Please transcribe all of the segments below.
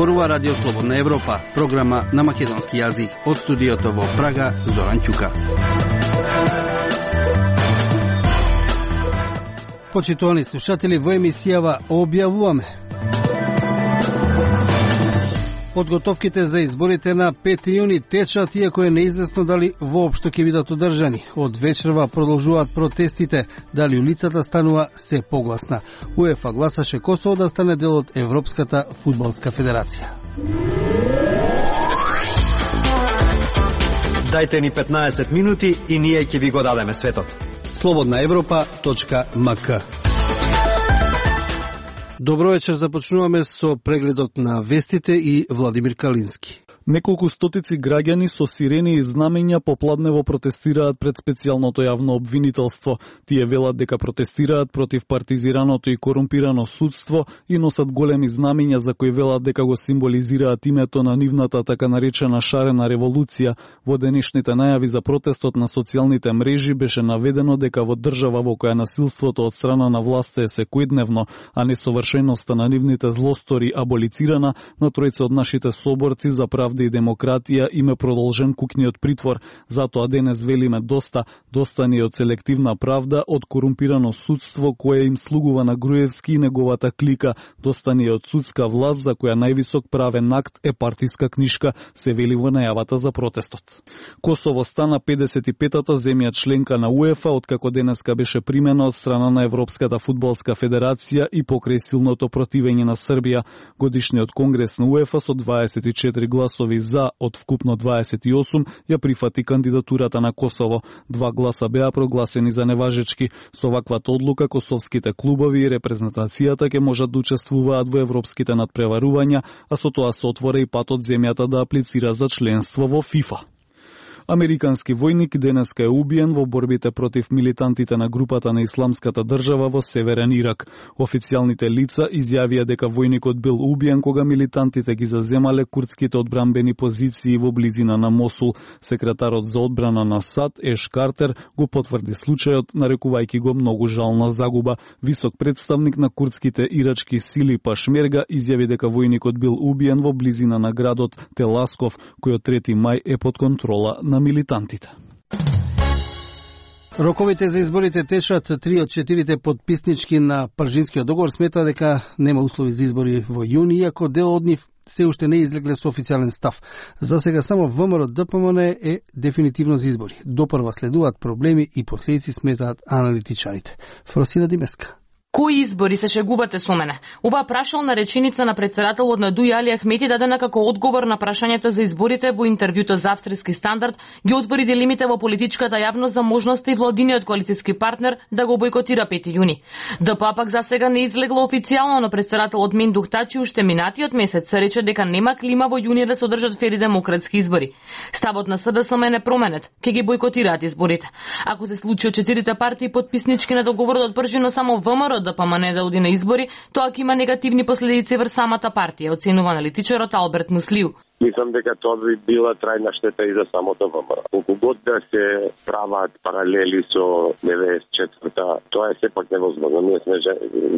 Зборува Радио Слободна Европа, програма на македонски јазик од студиото во Прага, Зоран Ќука. Почитувани слушатели, во емисијава објавуваме подготовките за изборите на 5 јуни течат, иако е неизвестно дали воопшто ќе бидат одржани. Од вечерва продолжуваат протестите, дали улицата станува се погласна. УЕФА гласаше Косово да стане дел од Европската фудбалска федерација. Дајте ни 15 минути и ние ќе ви го дадеме светот. slobodnaevropa.mk. Добро вечер, започнуваме со прегледот на вестите и Владимир Калински. Неколку стотици граѓани со сирени и знамења попладнево протестираат пред специјалното јавно обвинителство. Тие велат дека протестираат против партизираното и корумпирано судство и носат големи знамења за кои велат дека го символизираат името на нивната така наречена шарена револуција. Во денешните најави за протестот на социјалните мрежи беше наведено дека во држава во која насилството од страна на власта е секојдневно, а несовршеноста на нивните злостори аболицирана, на тројца од нашите соборци за правда и демократија име продолжен кукниот притвор. Затоа денес велиме доста ни од селективна правда, од корумпирано судство кое им слугува на Груевски и неговата клика. Доста ни од судска власт за која највисок правен акт е партиска книшка, се вели во најавата за протестот. Косово стана 55-та земја членка на УЕФА, откако денеска беше примена од страна на Европската фудбалска федерација и покрај силното противење на Србија. Годишниот конгрес на УЕФА со 24 гласови за од вкупно 28 ја прифати кандидатурата на Косово. 2 гласа беа прогласени за неважечки. Со ваквата одлука косовските клубови и репрезентацијата ќе можат да учествуваат во европските надпреварувања, а со тоа се отвора и патот земјата да аплицира за членство во ФИФА. Американски војник денеска е убиен во борбите против милитантите на групата на Исламската држава во Северен Ирак. Официјалните лица изјавија дека војникот бил убиен кога милитантите ги заземале курдските одбранбени позиции во близина на Мосул. Секретарот за одбрана на САД, Еш Картер, го потврди случајот, нарекувајќи го многу жална загуба. Висок представник на курдските ирачки сили Пашмерга изјави дека војникот бил убиен во близина на градот Теласков, кој од 3 мај е под контрола на милитантите. Роковите за изборите течат. 3 од 4 подписнички на Пржинскиот договор смета дека нема услови за избори во јуни, иако дел од нив се уште не излегле со официјален став. За сега само ВМРО ДПМН е дефинитивно за избори. Допрва следуваат проблеми и последици, сметаат аналитичарите. Фросина Димеска. Кои избори, се шегувате со мене? Оваа прашална реченица на председателот на ДУИ Али Ахмети дадена како одговор на прашањето за изборите во интервјуто за Австријски стандард ги отвори дилемите во политичката јавност за можноста и владиниот коалицијски партнер да го бойкотира 5 јуни. ДПА пак за сега не излегло официјално, но председателот Мендух Тачи уште минатиот месец се рече дека нема клима во јуни да се одржат фери демократски избори. Ставот на СДСМ не променет, ќе ги бойкотираат изборите. Ако се случи од 4 партии подписнички на договорот од Пржино само ВМРО ДПМН да оди на избори, тоа ќе има негативни последици врз самата партија, оценува аналитичарот Алберт Муслиу. Мислам дека тоа би била трајна штета и за самото ВМРО. Колку год да се прават паралели со 94-та, тоа е сепак невозможно. Ние сме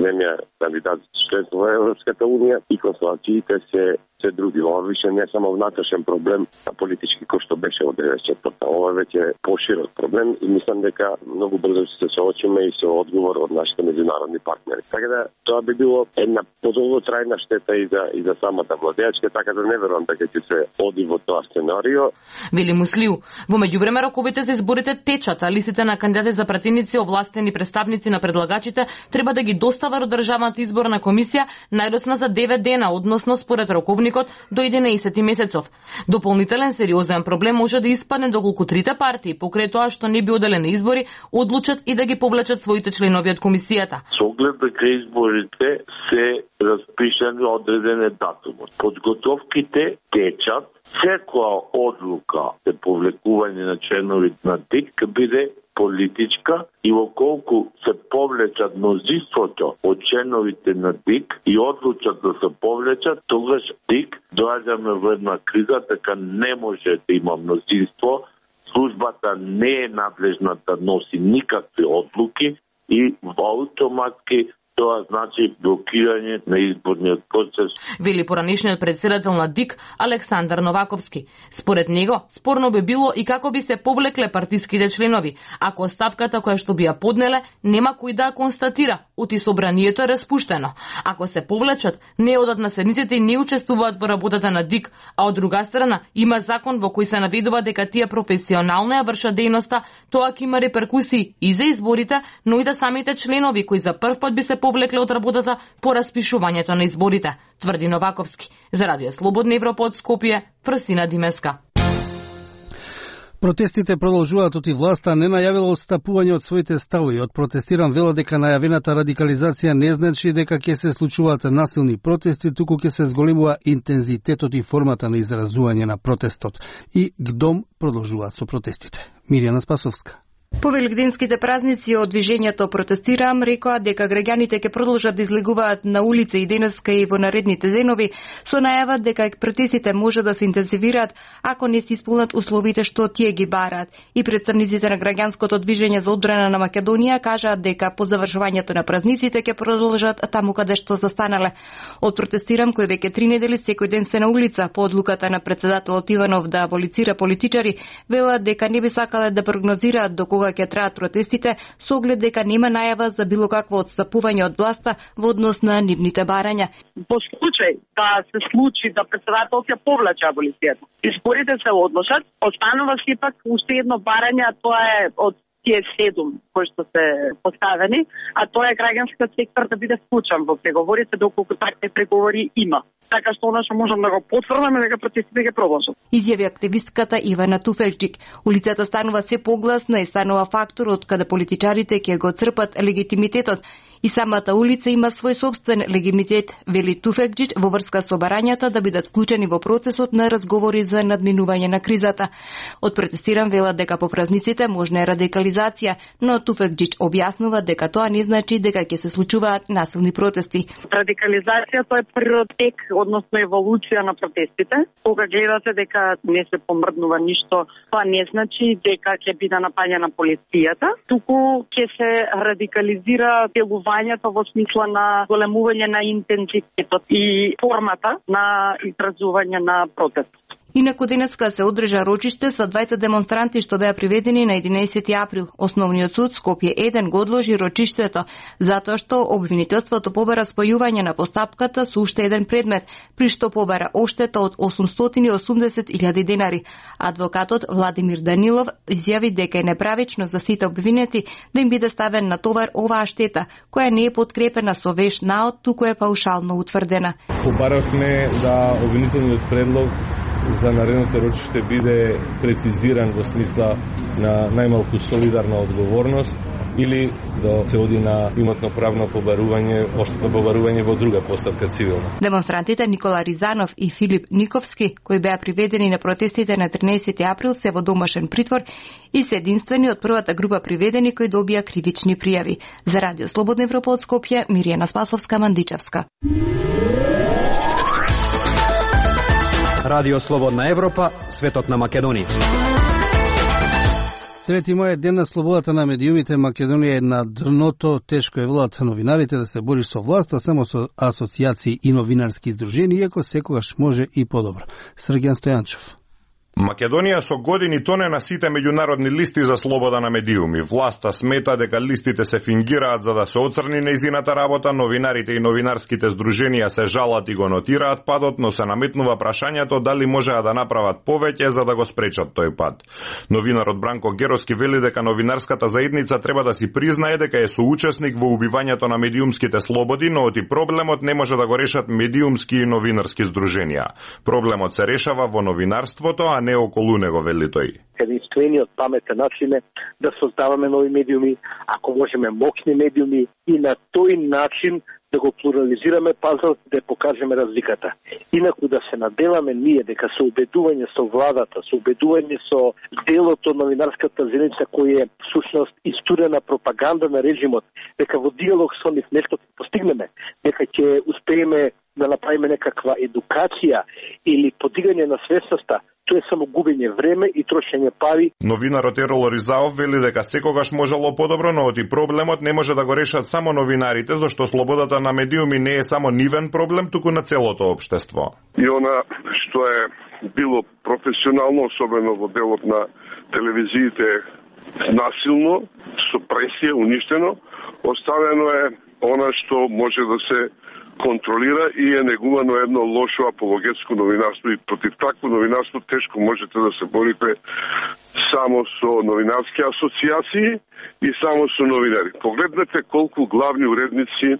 земја кандидат за членство во Европската унија и констелациите се други. Ова више не само внатрешен проблем, а политички кој што беше во 94-та. Ова веќе е поширок проблем и мислам дека многу брзо ќе се соочиме и со одговор од нашите меѓународни партнери. Така да тоа би било една подолготрајна штета и за самата владеачка, така да не верувам дека ќе се оди во тоа сценарио. Вели Муслиу, во меѓувреме роковите за изборите течат, а листите на кандидати за пратеници, овластени представници на предлагачите треба да ги достават до Државната изборна комисија најдоцна за 9 дена, односно според роковникот до 11 месецов. Дополнителен сериозен проблем може да испадне доколку 3 партии, покрај тоа што не би оделе на избори, одлучат и да ги повлечат своите членови од комисијата. Со оглед дека изборите се распишани одреден датум. Подготовките течат, секоја одлука за повлекување на членови на ДИК ќе биде политичка и околку се повлечат мнозинството од членовите на ДИК и одлучат да се повлечат, тогаш ДИК доаѓаме во една криза, така не може да има мнозинство, службата не е надлежна да носи никакви одлуки и автоматски тоа значи блокирање на изборниот процес. Вели поранишниот председател на ДИК Александар Новаковски. Според него, спорно би било и како би се повлекле партиските членови, ако оставката која што би ја поднеле нема кој да ја констатира, оти собранието е распуштено. Ако се повлечат, не одат на седниците и не учествуваат во работата на ДИК, а од друга страна има закон во кој се наведува дека тие професионално ја вршат дејноста, тоа ќе има реперкусии и за изборите, но и за самите членови кои за прв пат би се повлекле од работата по распишувањето на изборите, тврди Новаковски. За Радио Слободна Европа од Скопје, Фрсина Димеска. Протестите продолжуваат, оти власта не најавила отстапување од своите ставови. Од протестиран вела дека најавената радикализација не значи дека ќе се случуваат насилни протести, туку ќе се зголемува интензитетот и формата на изразување на протестот. И ГДОМ продолжуваат со протестите. Мирјана Спасовска. По великденските празници од движењето Протестирам рекоа дека граѓаните ќе продолжат да излегуваат на улица и денеска и во наредните денови, со најава дека протестите може да се интензивираат ако не се исполнат условите што тие ги бараат. И представниците на граѓанското движење за одбрана на Македонија кажаат дека по завршувањето на празниците ќе продолжат таму каде што застанале. Од Протестирам, кој веќе 3 недели секој ден се на улица по одлуката на председателот Иванов да аболицира политичари, велат дека не би сакале да прогнозираат до кога ќе траат протестите, со оглед дека нема најава за било какво отстапување од власта во однос на нивните барања. Во случај да се случи да председателот ја повлече аболицијата, изборите се одложат, останува сепак уште едно барање, а тоа е од тие 7 кои што се поставени, а тоа е граѓанскиот сектор да биде вклучен во преговорите доколку такви преговори има. Така што она што можам да го потврдам е дека протестите ќе продолжат. Изјави активистката Ивана Туфелчик. Улицата станува се погласна и станува фактор од каде политичарите ќе го црпат легитимитетот. И самата улица има свој собствен легитимитет, вели Туфекџич, во врска со барањата да бидат вклучени во процесот на разговори за надминување на кризата. Од Протестирам велат дека по празниците можна е радикализација, но Туфекџич објаснува дека тоа не значи дека ќе се случуваат насилни протести. Радикализацијата е природ тек, односно еволуција на протестите. Кога гледате дека не се помрднува ништо, тоа не значи дека ќе биде напаѓана полицијата, туку ќе се радикализира делувањето во смисла на големување на интензитетот и формата на изразување на протест. Инаку денеска се одржа рочиште со 20 демонстранти што беа приведени на 11 април. Основниот суд Скопје 1 го одложи рочиштето затоа што обвинителството побара спојување на постапката со уште еден предмет, при што побара оштета од 880.000 денари. Адвокатот Владимир Данилов изјави дека е неправично за сите обвинети да им биде ставен на товар оваа штета, која не е подкрепена со веш наод, туку е паушално утврдена. Побаравме да обвинителниот предлог за наредното рочиште биде прецизиран во смисла на најмалку солидарна одговорност или да се оди на имотно-правно побарување во друга постапка цивилна. Демонстрантите Никола Ризанов и Филип Никовски, кои беа приведени на протестите на 13 април, се во домашен притвор и се единствени од првата група приведени кои добија кривични пријави. За Радио Слободна Европа од Скопје, Мирјана Спасовска, Мандичевска. Радио Слободна Европа, светот на Македонија. 3 мај е ден на слободата на медиумите. Македонија е на дното, тешко е велат новинарите да се бори со власта, само со асоцијации и новинарски издружени, иако секогаш може и подобро. Сргјан Стојанчев. Македонија со години тоне на сите меѓународни листи за слобода на медиуми. Власта смета дека листите се фингираат за да се оцрни нејзината работа, новинарите и новинарските здруженија се жалат и го нотираат падот, но се наметнува прашањето дали можеа да направат повеќе за да го спречат тој пад. Новинарот Бранко Героски вели дека новинарската заедница треба да си признае дека е соучесник во убивањето на медиумските слободи, но оти проблемот не може да го решат медиумски и новинарски здруженија. Проблемот се решава во новинарството, а не околу него, вели тој. Единствениот паметен начин е да создаваме нови медиуми, ако можеме моќни медиуми и на тој начин да го плурализираме пазарот, да покажеме разликата. Инаку да се наделаме ние дека со убедување со владата, со убедување со делото од новинарската заедница кој е всушност истурена пропаганда на режимот, дека во диалог со нив нешто ќе постигнеме, дека ќе успееме да направиме некаква едукација или подигање на свесноста, Тоа е само губење време и трошење пари. Новинарот Ерол Ризаов вели дека секогаш можело подобро, но оти проблемот не може да го решат само новинарите, зашто слободата на медиуми не е само нивен проблем, туку на целото општество. И она што е било професионално, особено во делот на телевизиите, насилно, со пресија, уништено, оставено е она што може да се контролира и е негувано едно лошо апологетско новинарство, и против такво новинарство тешко можете да се борите само со новинарски асоциации и само со новинари. Погледнете колку главни уредници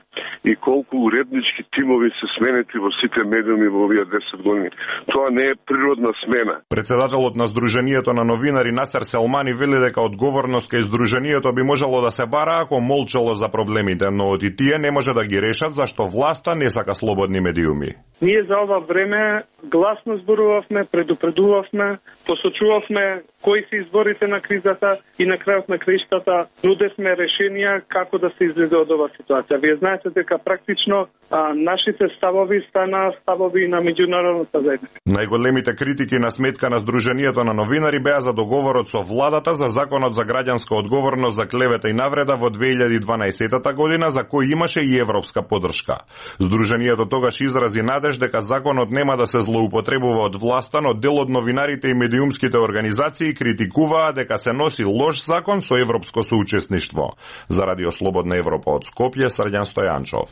и колку уреднички тимови се сменети во сите медиуми во овие 10 години. Тоа не е природна смена. Председателот на Сдруженијето на новинари Насер Селмани вели дека одговорност кај Сдруженијето би можело да се бара ако молчало за проблемите, но оти тие не може да ги решат зашто власта не сака слободни медиуми. Ние за ова време гласно зборувавме, предупредувавме, посочувавме кои се изворите на кризата и на крајот на краиштата нудевме решенија како да се излезе од оваа ситуација. Вие знаете дека практично нашите ставови стана ставови на меѓународната заедница. Најголемите критики на сметка на Сдруженијето на новинари беа за договорот со владата за законот за граѓанска одговорност за клевета и навреда во 2012 година, за кој имаше и европска поддршка. Сдруженијето тогаш изрази надеж дека законот нема да се злоупотребува од власта, но дел од новинарите и медиумските организации критикуваа дека се носи лош закон со европско соучесништво. За Радио Слободна Европа од Скопје, Срđan Стојанчов.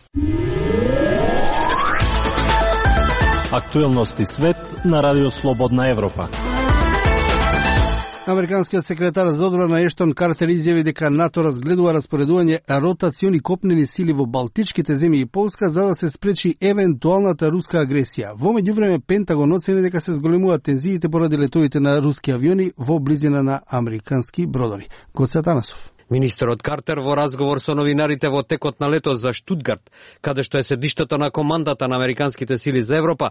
Актуелности свет на Радио Слободна Европа. Американскиот секретар за одбрана Ештон Картер изјави дека НАТО разгледува распоредување ротациони копнени сили во Балтичките земји и Полска за да се спречи евентуалната руска агресија. Во меѓувреме Пентагон оцени дека се зголемуваат тензиите поради летовите на руски авиони во близина на американски бродови. Гоце Атанасов. Министерот Картер во разговор со новинарите во текот на лето за Штутгарт, каде што е седиштето на командата на американските сили за Европа,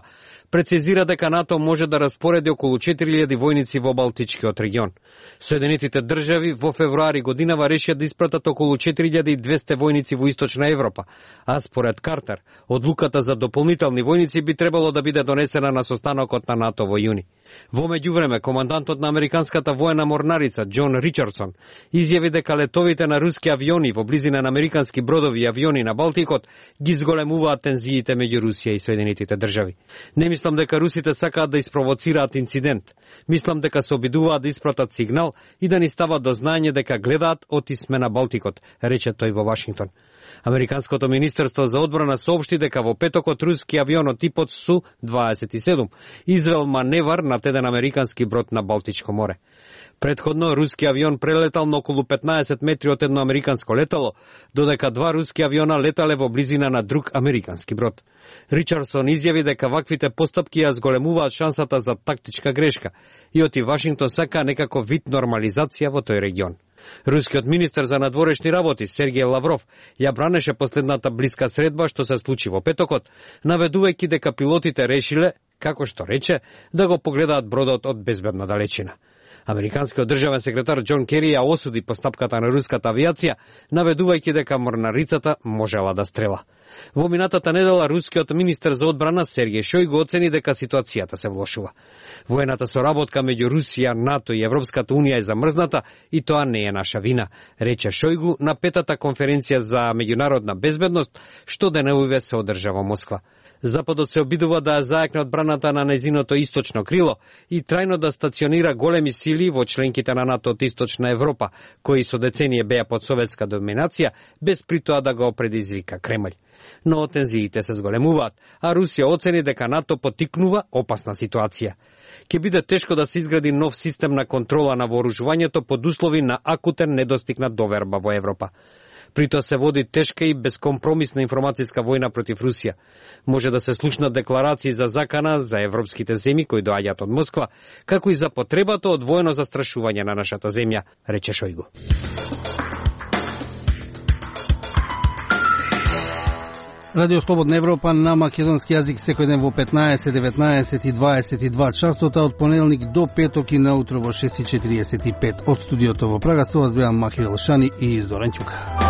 прецизира дека НАТО може да распореди околу 4000 војници во Балтичкиот регион. Соединетите држави во февруари годинава решија да испратат околу 4200 војници во Источна Европа, а според Картер, одлуката за дополнителни војници би требало да биде донесена на состанокот на НАТО во јуни. Во меѓувреме, командантот на американската воена морнарица Џон Ричардсон изјави дека летовите на руски авиони во близина на американски бродови и авиони на Балтикот ги зголемуваат тензиите меѓу Русија и Соединетите држави. Не мислам дека русите сакаат да испровоцираат инцидент. Мислам дека се обидуваат да испратат сигнал и да ни стават до знаење дека гледаат отисме на Балтикот, рече тој во Вашингтон. Американското министерство за одбрана соопшти дека во петокот руски авион од типот Су-27 извел маневар над еден американски брод на Балтичко море. Предходно, руски авион прелетал на околу 15 метри од едно американско летало, додека два руски авиона летале во близина на друг американски брод. Ричардсон изјави дека ваквите постапки ја зголемуваат шансата за тактичка грешка и оти Вашингтон сака некако вид нормализација во тој регион. Рускиот министер за надворешни работи Сергеј Лавров ја бранеше последната блиска средба што се случи во петокот, наведувајќи дека пилотите решиле, како што рече, да го погледаат бродот од безбедна далечина. Американскиот државен секретар Џон Кери ја осуди постапката на руската авиација, наведувајќи дека морнарицата можела да стрела. Во минатата недела рускиот министер за одбрана Сергеј Шојгу оцени дека ситуацијата се влошува. Воената соработка меѓу Русија, НАТО и Европската унија е замрзната и тоа не е наша вина, рече Шојгу на петата конференција за меѓународна безбедност што деневиве се одржа во Москва. Западот се обидува да ја зајакне одбраната на незиното источно крило и трајно да стационира големи сили во членките на НАТО од Источна Европа, кои со деценија беа под советска доминација, без при тоа да го предизвика Кремљ. Но тензиите се зголемуваат, а Русија оцени дека НАТО поттикнува опасна ситуација. Ке биде тешко да се изгради нов систем на контрола на вооружувањето под услови на акутен недостиг на доверба во Европа. При тоа се води тешка и безкомпромисна информацијска војна против Русија. Може да се слушнат декларации за закана за европските земји кои доаѓаат од Москва, како и за потребата од воено застрашување на нашата земја, рече Шојгу. Радио Слободна Европа на македонски јазик секој ден во 15, 19 и 22 часота од понеделник до петок и наутро во 6:45 од студиото во Прага. Со вас беа Махир Елшани и Зоран Ќука.